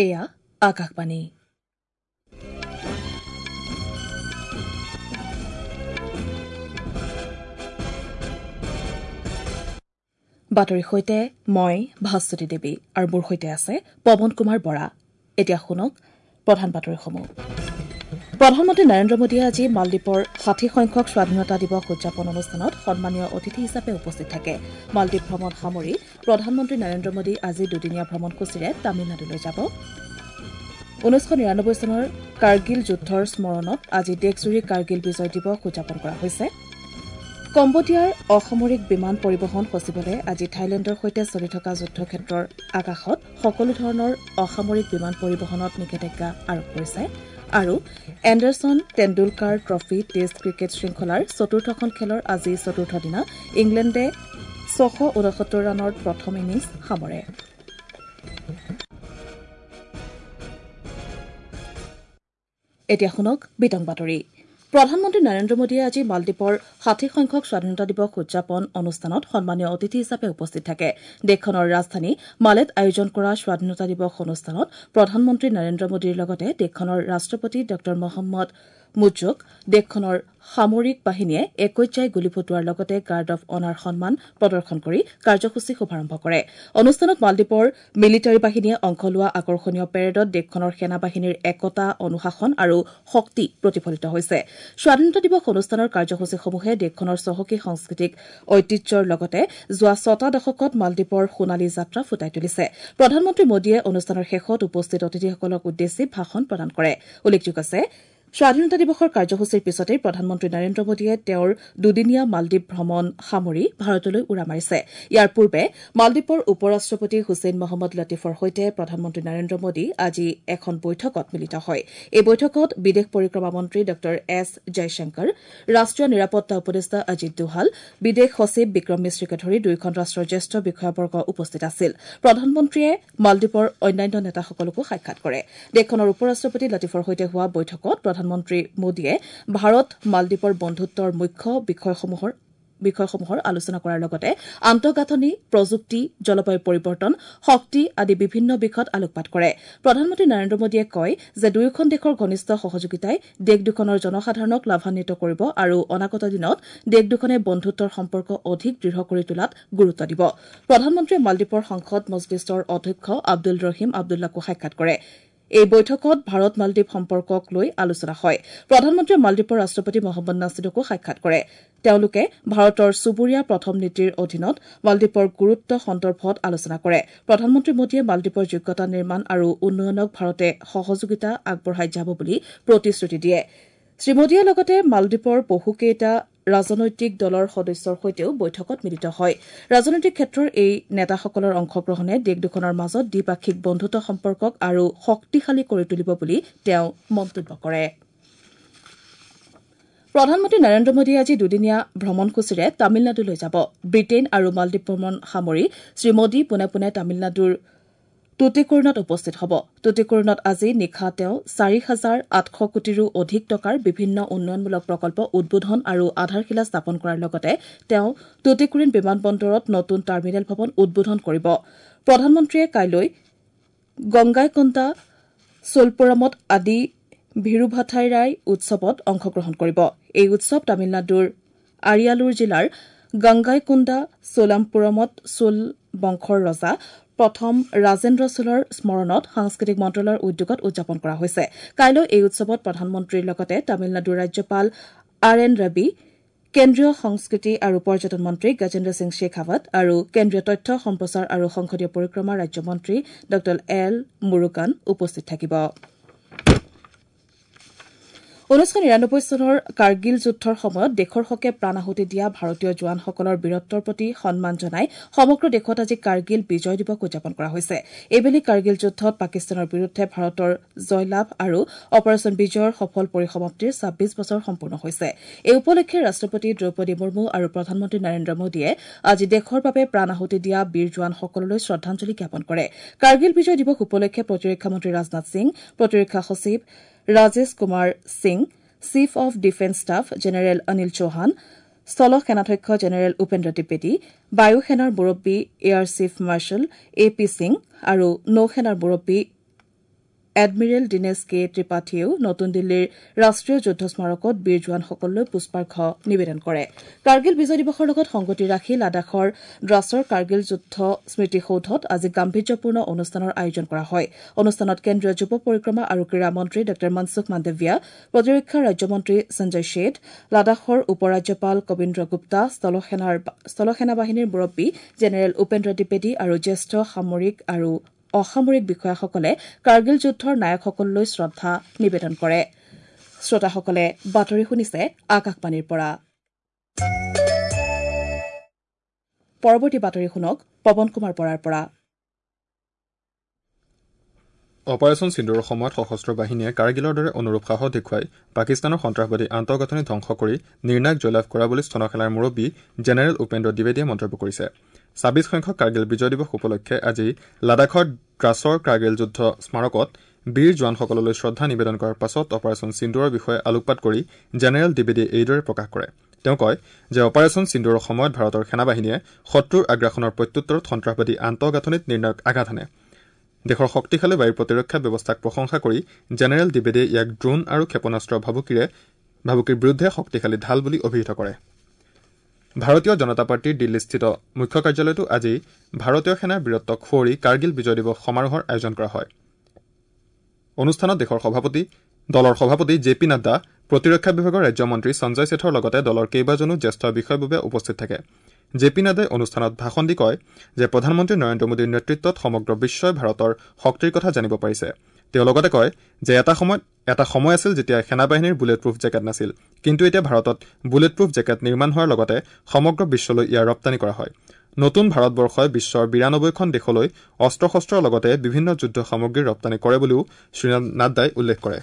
এয়া আকাশবাণী। বাতৰিৰ সৈতে মই ভাস্বতী দেৱী আৰু মোৰ সৈতে আছে পৱন কুমাৰ বৰা। এতিয়া শুনক প্ৰধান বাতৰিসমূহ। প্ৰধানমন্ত্ৰী নৰেন্দ্ৰ মোদীয়ে আজি মালদ্বীপৰ ৬০ সংখ্যক স্বাধীনতা দিৱস উদযাপন অনুষ্ঠানত সন্মানীয় অতিথি হিচাপে উপস্থিত থাকে। মালদ্বীপ ভ্ৰমণ সামৰি প্ৰধানমন্ত্ৰী নৰেন্দ্ৰ মোদী আজি দুদিনীয়া ভ্ৰমণসূচীৰে তামিলনাডুলৈ যাব। ১৯৯৯ চনৰ কাৰ্গিল যুদ্ধৰ স্মৰণত আজি দেশজুৰি কাৰ্গিল বিজয় দিৱস উদযাপন কৰা হৈছে। কম্বোডিয়াৰ অসামৰিক বিমান পৰিবহণ সচিবালয়ে আজি থাইলেণ্ডৰ সৈতে চলি থকা যুদ্ধক্ষেত্ৰৰ আকাশত সকলো ধৰণৰ অসামৰিক বিমান পৰিবহণত নিষেধাজ্ঞা আৰোপ কৰিছে। আৰু Anderson Tendulkar trophy test cricket শৃংখলাৰ চতুৰ্থখন খেলৰ আজি চতুৰ্থ দিনা ইংলেণ্ডে ৬৬৯ ৰানৰ প্ৰথম ইনিংছ সামৰে। এতিয়া শুনক বিতং বাতৰি। প্ৰধানমন্ত্ৰী নৰেন্দ্ৰ মোদীয়ে আজি মালদ্বীপৰ ৬০ সংখ্যক স্বাধীনতা দিৱস উদযাপন অনুষ্ঠানত সন্মানীয় অতিথি হিচাপে উপস্থিত থাকে। দেশখনৰ ৰাজধানী মালেত আয়োজন কৰা স্বাধীনতা দিৱস অনুষ্ঠানত প্ৰধানমন্ত্ৰী নৰেন্দ্ৰ মোদীৰ লগতে দেশখনৰ ৰাষ্ট্ৰপতি ডঃ মহম্মদ মুজ্জুক দেশখনৰ সামৰিক বাহিনীয়ে একৈশজাই গুলী ফুটোৱাৰ লগতে গাৰ্ড অৱ অনাৰ সন্মান প্ৰদৰ্শন কৰি কাৰ্যসূচী শুভাৰম্ভ কৰে। অনুষ্ঠানত মালদ্বীপৰ মিলিটাৰী বাহিনীয়ে অংশ লোৱা আকৰ্ষণীয় পেৰেডত দেশখনৰ সেনাবাহিনীৰ একতা, অনুশাসন আৰু শক্তি প্ৰতিফলিত হৈছে। স্বাধীনতা দিৱস অনুষ্ঠানৰ কাৰ্যসূচীসমূহে দেশখনৰ চহকী সাংস্কৃতিক ঐতিহ্যৰ লগতে যোৱা ছটা দশকত মালদ্বীপৰ সোণালী যাত্ৰা ফুটাই তুলিছে। প্ৰধানমন্ত্ৰী মোদীয়ে অনুষ্ঠানৰ শেষত উপস্থিত অতিথিসকলক উদ্দেশ্যি ভাষণ প্ৰদান কৰে। উল্লেখযোগ্য যে স্বাধীনতা দিৱসৰ কাৰ্যসূচীৰ পিছতেই প্ৰধানমন্ত্ৰী নৰেন্দ্ৰ মোদীয়ে তেওঁৰ দুদিনীয়া মালদ্বীপ ভ্ৰমণ সামৰি ভাৰতলৈ উৰা মাৰিছে। ইয়াৰ পূৰ্বে মালদ্বীপৰ উপ ৰাষ্ট্ৰপতি হুছেইন মহম্মদ লতিফৰ সৈতে প্ৰধানমন্ত্ৰী নৰেন্দ্ৰ মোদী আজি এখন বৈঠকত মিলিত হয়। এই বৈঠকত বিদেশ পৰিক্ৰমা মন্ত্ৰী ডঃ এছ জয়শংকৰ, ৰাষ্ট্ৰীয় নিৰাপত্তা উপদেষ্টা অজিত দোভাল, বিদেশ সচিব বিক্ৰম মিশ্ৰীকে ধৰি দুয়োখন ৰাষ্ট্ৰৰ জ্যেষ্ঠ বিষয়াবৰ্গ উপস্থিত আছিল। প্ৰধানমন্ত্ৰীয়ে মালদ্বীপৰ অন্যান্য নেতাসকলকো সাক্ষাৎ কৰে। দেশখনৰ উপ ৰাষ্ট্ৰপতি লতিফৰ সৈতে হোৱা বৈঠকত প্ৰধানমন্ত্ৰী মোদীয়ে ভাৰত মালদ্বীপৰ বন্ধুত্বৰ মুখ্য বিষয়সমূহৰ আলোচনা কৰাৰ লগতে আন্তঃগাঁথনি, প্ৰযুক্তি, জলবায়ু পৰিৱৰ্তন, শক্তি আদি বিভিন্ন বিষয়ত আলোকপাত কৰে। প্ৰধানমন্ত্ৰী নৰেন্দ্ৰ মোদীয়ে কয় যে দুয়োখন দেশৰ ঘনিষ্ঠ সহযোগিতাই দেশ দুখনৰ জনসাধাৰণক লাভান্বিত কৰিব আৰু অনাগত দিনত দেশ দুখনে বন্ধুত্বৰ সম্পৰ্ক অধিক দৃঢ় কৰি তোলাত গুৰুত্ব দিব। প্ৰধানমন্ত্ৰীয়ে মালদ্বীপৰ সংসদ মজলিছৰ অধ্যক্ষ আব্দুল ৰহিম আব্দুল্লাকো সাক্ষাৎ কৰে। এই বৈঠকত ভাৰত মালদ্বীপ সম্পৰ্কক লৈ আলোচনা হয়। প্ৰধানমন্ত্ৰীয়ে মালদ্বীপৰ ৰাষ্ট্ৰপতি মহম্মদ নাছিদকো সাক্ষাৎ কৰে। তেওঁলোকে ভাৰতৰ চুবুৰীয়া প্ৰথম নীতিৰ অধীনত মালদ্বীপৰ গুৰুত্ব সন্দৰ্ভত আলোচনা কৰে। প্ৰধানমন্ত্ৰী মোদীয়ে মালদ্বীপৰ যোগ্যতা নিৰ্মাণ আৰু উন্নয়নক ভাৰতে সহযোগিতা আগবঢ়াই যাব বুলি প্ৰতিশ্ৰুতি দিয়ে। শ্ৰীমোদীয়ে লগতে মালদ্বীপৰ বহুকেইটা ৰাজনৈতিক দলৰ সদস্যৰ সৈতেও বৈঠকত মিলিত হয়। ৰাজনৈতিক ক্ষেত্ৰৰ এই নেতাসকলৰ অংশগ্ৰহণে দেশ দুখনৰ মাজত দ্বিপাক্ষিক বন্ধুত্ব সম্পৰ্কক আৰু শক্তিশালী কৰি তুলিব বুলি তেওঁ মন্তব্য কৰে। প্ৰধানমন্ত্ৰী নৰেন্দ্ৰ মোদীয়ে আজি দুদিনীয়া ভ্ৰমণসূচীৰে তামিলনাডুলৈ যাব। ব্ৰিটেইন আৰু মালদ্বীপ ভ্ৰমণ সামৰি শ্ৰীমোদী পোনে পোনে তামিলনাডুৰ টুটিকোৰিনত উপস্থিত হ'ব। টুটিকোৰিনত আজি নিশা তেওঁ ৪,৮০০ কোটিৰো অধিক টকাৰ বিভিন্ন উন্নয়নমূলক প্ৰকল্প উদ্বোধন আৰু আধাৰশিলা স্থাপন কৰাৰ লগতে তেওঁ টুটিকোৰিন বিমানবন্দৰত নতুন টাৰ্মিনেল ভৱন উদ্বোধন কৰিব। প্ৰধানমন্ত্ৰীয়ে কাইলৈ গংগাইকোণ্ডা চোলপুৰমত আদি ভিৰুভাথাইৰাই উৎসৱত অংশগ্ৰহণ কৰিব। এই উৎসৱ তামিলনাডুৰ আৰিয়ালুৰ জিলাৰ গংগাইকোণ্ডা চোলামপুৰমত চোল বংশৰ ৰজা প্ৰথম ৰাজেন্দ্ৰ চোলৰ স্মৰণত সাংস্কৃতিক মন্ত্ৰালয়ৰ উদ্যোগত উদযাপন কৰা হৈছে। কাইলৈ এই উৎসৱত প্ৰধানমন্ত্ৰীৰ লগতে তামিলনাডুৰ ৰাজ্যপাল আৰ এন ৰবি, কেন্দ্ৰীয় সংস্কৃতি আৰু পৰ্যটন মন্ত্ৰী গজেন্দ্ৰ সিং শেখাৱত আৰু কেন্দ্ৰীয় তথ্য সম্প্ৰচাৰ আৰু সংসদীয় পৰিক্ৰমা ৰাজ্যমন্ত্ৰী ডঃ এল মুৰুগান উপস্থিত থাকিব। ১৯৯৯ চনৰ কাৰ্গিল যুদ্ধৰ সময়ত দেশৰ হকে প্ৰাণ আহুতি দিয়া ভাৰতীয় জোৱানসকলৰ বীৰত্বৰ প্ৰতি সন্মান জনাই সমগ্ৰ দেশত আজি কাৰ্গিল বিজয় দিৱস উদযাপন কৰা হৈছে। এইবেলি কাৰ্গিল যুদ্ধত পাকিস্তানৰ বিৰুদ্ধে ভাৰতৰ জয়লাভ আৰু অপাৰেচন বিজয়ৰ সফল পৰিসমাপ্তিৰ ২৬ বছৰ সম্পূৰ্ণ হৈছে। এই উপলক্ষে ৰাষ্ট্ৰপতি দ্ৰৌপদী মুৰ্মু আৰু প্ৰধানমন্ত্ৰী নৰেন্দ্ৰ মোদীয়ে আজি দেশৰ বাবে প্ৰাণ আহুতি দিয়া বীৰ জোৱানসকললৈ শ্ৰদ্ধাঞ্জলি জ্ঞাপন কৰে। কাৰ্গিল বিজয় দিৱস উপলক্ষে প্ৰতিৰক্ষা মন্ত্ৰী ৰাজনাথ সিং, প্ৰতিৰক্ষা সচিব Rajesh Kumar Singh, chief of defence staff general Anil Chauhan, স্থল সেনাধ্যক্ষ জেনেৰেল উপেন্দ্ৰ দ্বিবেদী, বায়ু সেনাৰ মুৰব্বী air chief marshal A P Singh আৰু নৌসেনাৰ মুৰব্বী এডমিৰেল দীনেশ কে ত্ৰিপাঠীয়েও নতুন দিল্লীৰ ৰাষ্ট্ৰীয় যুদ্ধ স্মাৰকত বীৰ জোৱানসকললৈ পুষ্পাৰ্ঘ নিবেদন কৰে। কাৰ্গিল বিজয় দিৱসৰ লগত সংগতি ৰাখি লাডাখৰ দ্ৰাছৰ কাৰ্গিল যুদ্ধ স্মৃতিসৌধত আজি গাম্ভীৰ্যপূৰ্ণ অনুষ্ঠানৰ আয়োজন কৰা হয়। অনুষ্ঠানত কেন্দ্ৰীয় যুৱ পৰিক্ৰমা আৰু ক্ৰীড়া মন্ত্ৰী ডাঃ মনসুখ মাণ্ডভিয়া, প্ৰতিৰক্ষা ৰাজ্যমন্ত্ৰী সঞ্জয় শেঠ, লাডাখৰ উপ ৰাজ্যপাল কবীন্দ্ৰ গুপ্তা, স্থলসেনা বাহিনীৰ মুৰব্বী জেনেৰেল উপেন্দ্ৰ দ্বিবেদী আৰু জ্যেষ্ঠ সামৰিক আৰু অসামৰিক বিষয়াসকলে কাৰ্গিল যুদ্ধৰ নায়কসকললৈ শ্ৰদ্ধা নিবেদন কৰে। শ্ৰোতাসকলে বাতৰি শুনিছে আকাশবাণীৰ পৰা। পৰৱৰ্তী বাতৰি শুনক পৱন কুমাৰ বৰাৰ পৰা। অপাৰেচন সিন্দুৰৰ সময়ত সশস্ত্ৰ বাহিনীয়ে কাৰ্গিলৰ দৰে অনুৰূপ সাহস দেখুৱাই পাকিস্তানৰ সন্ত্ৰাসবাদী আন্তঃগাঁথনি ধ্বংস কৰি নিৰ্ণায়ক জয়লাভ কৰা বুলি স্থলসেনাৰ মুৰব্বী জেনেৰেল উপেন্দ্ৰ দ্বিবেদীয়ে মন্তব্য কৰিছে। ২৬ সংখ্যক কাৰ্গিল বিজয় দিৱস উপলক্ষে আজি লাডাখৰ দ্ৰাছৰ কাৰ্গিল যুদ্ধ স্মাৰকত বীৰ জোৱানসকললৈ শ্ৰদ্ধা নিবেদন কৰাৰ পাছত অপাৰেচন সিন্দুৰৰ বিষয়ে আলোকপাত কৰি জেনেৰেল দ্বিবেদীয়ে এইদৰে প্ৰকাশ কৰে। তেওঁ কয় যে অপাৰেচন সিন্দুৰৰ সময়ত ভাৰতৰ সেনাবাহিনীয়ে শত্ৰুৰ আগ্ৰাসনৰ প্ৰত্যুত্তৰত সন্ত্ৰাসবাদী আন্তঃগাঁথনিত নিৰ্ণায়ক আঘাত হানে। দেশৰ শক্তিশালী বায়ু প্ৰতিৰক্ষা ব্যৱস্থাক প্ৰশংসা কৰি জেনেৰেল দ্বিবেদীয়ে ইয়াক ড্ৰোন আৰু ক্ষেপণাস্ত্ৰ ভাবুকিৰ বিৰুদ্ধে শক্তিশালী ঢাল বুলি অভিহিত কৰে। ভাৰতীয় জনতা পাৰ্টীৰ দিল্লীস্থিত মুখ্য কাৰ্যালয়তো আজি ভাৰতীয় সেনাৰ বীৰত্বক সুঁৱৰি কাৰ্গিল বিজয় দিৱস সমাৰোহৰ আয়োজন কৰা হয়। অনুষ্ঠানত দলৰ সভাপতি জে পি নাড্ডা, প্ৰতিৰক্ষা বিভাগৰ ৰাজ্যমন্ত্ৰী সঞ্জয় শেঠৰ লগতে দলৰ কেইবাজনো জ্যেষ্ঠ বিষয়ববীয়া উপস্থিত থাকে। জে পি নাড্ডাই অনুষ্ঠানত ভাষণ দি কয় যে প্ৰধানমন্ত্ৰী নৰেন্দ্ৰ মোদীৰ নেতৃত্বত সমগ্ৰ বিশ্বই ভাৰতৰ শক্তিৰ কথা জানিব পাৰিছে। তেওঁ লগতে কয় যে এটা সময় আছিল যেতিয়া সেনাবাহিনীৰ বুলেট প্ৰুফ জেকেট নাছিল, কিন্তু এতিয়া ভাৰতত বুলেট প্ৰুফ জেকেট নিৰ্মাণ হোৱাৰ লগতে সমগ্ৰ বিশ্বলৈ ইয়াৰ ৰপ্তানি কৰা হয়। নতুন ভাৰতবৰ্ষই বিশ্বৰ ৯২খন দেশলৈ অস্ত্ৰ শস্ত্ৰৰ লগতে বিভিন্ন যুদ্ধ সামগ্ৰী ৰপ্তানি কৰে বুলিও শ্ৰী নাড্ডাই উল্লেখ কৰে।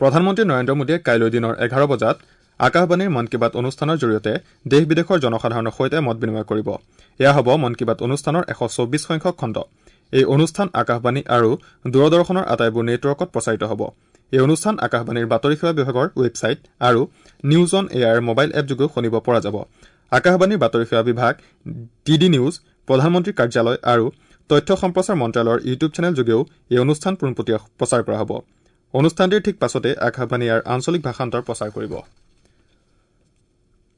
প্ৰধানমন্ত্ৰী নৰেন্দ্ৰ মোদীয়ে কাইলৈ দিনৰ ১১ বজাত আকাশবাণীৰ মন কী বাত অনুষ্ঠানৰ জৰিয়তে দেশ বিদেশৰ জনসাধাৰণৰ সৈতে মত বিনিময় কৰিব। এয়া হ'ব মন কী বাত অনুষ্ঠানৰ ১২৪ সংখ্যক খণ্ড। এই অনুষ্ঠান আকাশবাণী আৰু দূৰদৰ্শনৰ আটাইবোৰ নেটৱৰ্কত প্ৰচাৰিত হ'ব। এই অনুষ্ঠান আকাশবাণীৰ বাতৰি সেৱা বিভাগৰ ৱেবছাইট আৰু নিউজ অন এয়াৰ মোবাইল এপযোগেও শুনিব পৰা যাব। আকাশবাণীৰ বাতৰি সেৱা বিভাগ, ডি ডি নিউজ, প্ৰধানমন্ত্ৰীৰ কাৰ্যালয় আৰু তথ্য সম্প্ৰচাৰ মন্ত্ৰালয়ৰ ইউটিউব চেনেল যোগেও এই অনুষ্ঠান পোনপটীয়া প্ৰচাৰ কৰা হ'ব। অনুষ্ঠানটিৰ ঠিক পাছতে আকাশবাণী ইয়াৰ আঞ্চলিক ভাষান্তৰ প্ৰচাৰ কৰিব।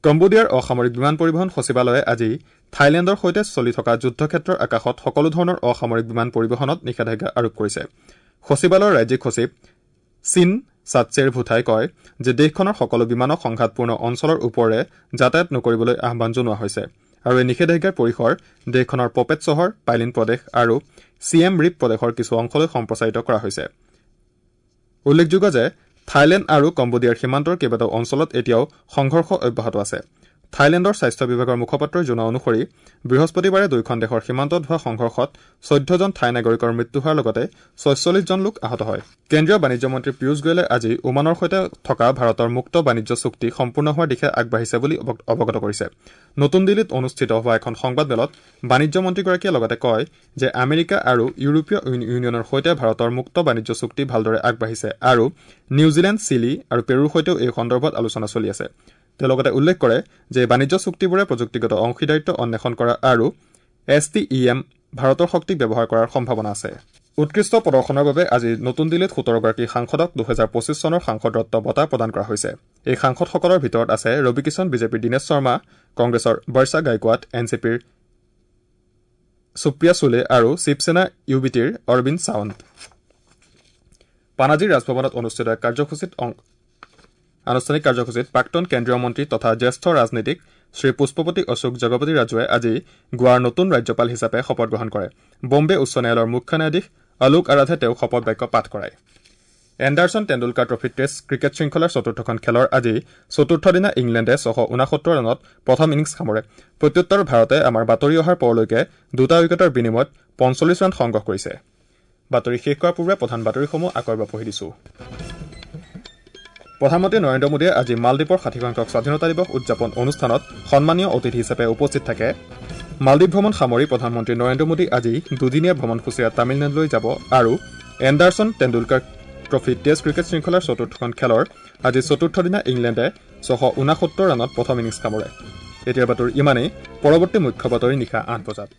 কম্বোডিয়াৰ অসামৰিক বিমান পৰিবহণ সচিবালয়ে আজি থাইলেণ্ডৰ সৈতে চলি থকা যুদ্ধক্ষেত্ৰৰ আকাশত সকলো ধৰণৰ অসামৰিক বিমান পৰিবহণত নিষেধাজ্ঞা আৰোপ কৰিছে। সচিবালয়ৰ ৰাজ্যিক সচিব চিন চাটছেৰ ভুথাই কয় যে দেশখনৰ সকলো বিমানক সংঘাতপূৰ্ণ অঞ্চলৰ ওপৰেৰে যাতায়াত নকৰিবলৈ আহ্বান জনোৱা হৈছে আৰু এই নিষেধাজ্ঞাৰ পৰিসৰ দেশখনৰ পপেট চহৰ, পাইলিন প্ৰদেশ আৰু চিয়েম ৰিপ প্ৰদেশৰ কিছু অংশলৈ সম্প্ৰসাৰিত কৰা হৈছে। উল্লেখযোগ্য যে থাইলেণ্ড আৰু কম্বোডিয়াৰ সীমান্তৰ কেইবাটাও অঞ্চলত এতিয়াও সংঘৰ্ষ অব্যাহত আছে। থাইলেণ্ডৰ স্বাস্থ্য বিভাগৰ মুখপাত্ৰই জনোৱা অনুসৰি বৃহস্পতিবাৰে দুয়োখন দেশৰ সীমান্তত হোৱা সংঘৰ্ষত ১৪জন থাই নাগৰিকৰ মৃত্যু হোৱাৰ লগতে ৪৬ জন লোক আহত হয়। কেন্দ্ৰীয় বাণিজ্য মন্ত্ৰী পীয়ুষ গোৱেলে আজি ওমানৰ সৈতে থকা ভাৰতৰ মুক্ত বাণিজ্য চুক্তি সম্পূৰ্ণ হোৱাৰ দিশে আগবাঢ়িছে বুলি অৱগত কৰিছে। নতুন দিল্লীত অনুষ্ঠিত হোৱা এখন সংবাদমেলত বাণিজ্য মন্ত্ৰীগৰাকীয়ে লগতে কয় যে আমেৰিকা আৰু ইউৰোপীয় ইউনিয়নৰ সৈতে ভাৰতৰ মুক্ত বাণিজ্য চুক্তি ভালদৰে আগবাঢ়িছে আৰু নিউজিলেণ্ড, চিলি আৰু পেৰুৰ সৈতেও এই সন্দৰ্ভত আলোচনা চলি আছে। তেওঁ লগতে উল্লেখ কৰে যে বাণিজ্য চুক্তিবোৰে প্ৰযুক্তিগত অংশীদাৰিত্ব অন্বেষণ কৰা আৰু STEM ভাৰতৰ শক্তিক ব্যৱহাৰ কৰাৰ সম্ভাৱনা আছে। উৎকৃষ্ট প্ৰদৰ্শনৰ বাবে আজি নতুন দিল্লীত ১৭গৰাকী সাংসদক ২০২৫ চনৰ সাংসদ ৰত্ন বঁটা প্ৰদান কৰা হৈছে। এই সাংসদসকলৰ ভিতৰত আছে ৰবি কিষণ, বিজেপিৰ দীনেশ শৰ্মা, কংগ্ৰেছৰ বৰ্ষা গায়কোৱাড, এন চি পিৰ সুপ্ৰিয়া চুলে আৰু শিৱসেনা ইউ বি টিৰ অৰবিন্দ সাৱন্ত। পানাজীৰ ৰাজভৱনত অনুষ্ঠিত এক আনুষ্ঠানিক কাৰ্যসূচীত প্ৰাক্তন কেন্দ্ৰীয় মন্ত্ৰী তথা জ্যেষ্ঠ ৰাজনীতিক শ্ৰী পুষ্পপতি অশোক জগপতি ৰাজুৱে আজি গোৱাৰ নতুন ৰাজ্যপাল হিচাপে শপত গ্ৰহণ কৰে। বম্বে উচ্চ ন্যায়ালয়ৰ মুখ্য ন্যায়াধীশ আলোক আৰাধে তেওঁক শপত বাক্য পাঠ কৰায়। Anderson Tendulkar trophy test cricket শৃংখলাৰ চতুৰ্থখন খেলৰ আজি চতুৰ্থ দিনা ইংলেণ্ডে ৬৬৯ ৰানত প্ৰথম ইনিংছ সামৰে। প্ৰত্যুত্তৰত ভাৰতে আমাৰ বাতৰি অহাৰ পৰলৈকে ২টা উইকেটৰ বিনিময়ত ৪৫ ৰান সংগ্ৰহ কৰিছে। বাতৰি শেষ কৰাৰ পূৰ্বে প্ৰধান বাতৰিসমূহ আকৌ এবাৰ পঢ়ি দিছো। প্ৰধানমন্ত্ৰী নৰেন্দ্ৰ মোদীয়ে আজি মালদ্বীপৰ ৬০ সংখ্যক স্বাধীনতা দিৱস উদযাপন অনুষ্ঠানত সন্মানীয় অতিথি হিচাপে উপস্থিত থাকে। মালদ্বীপ ভ্ৰমণ সামৰি প্ৰধানমন্ত্ৰী নৰেন্দ্ৰ মোদী আজি দুদিনীয়া ভ্ৰমণসূচীৰে তামিলনাডুলৈ যাব আৰু Anderson Tendulkar trophy test cricket শৃংখলাৰ চতুৰ্থখন খেলৰ আজি চতুৰ্থ দিনা ইংলেণ্ডে ৬৬৯ ৰানত প্ৰথম ইনিংছ সামৰে। এতিয়াৰ বাতৰি ইমানেই। পৰৱৰ্তী মুখ্য বাতৰি নিশা ৮ বজাত।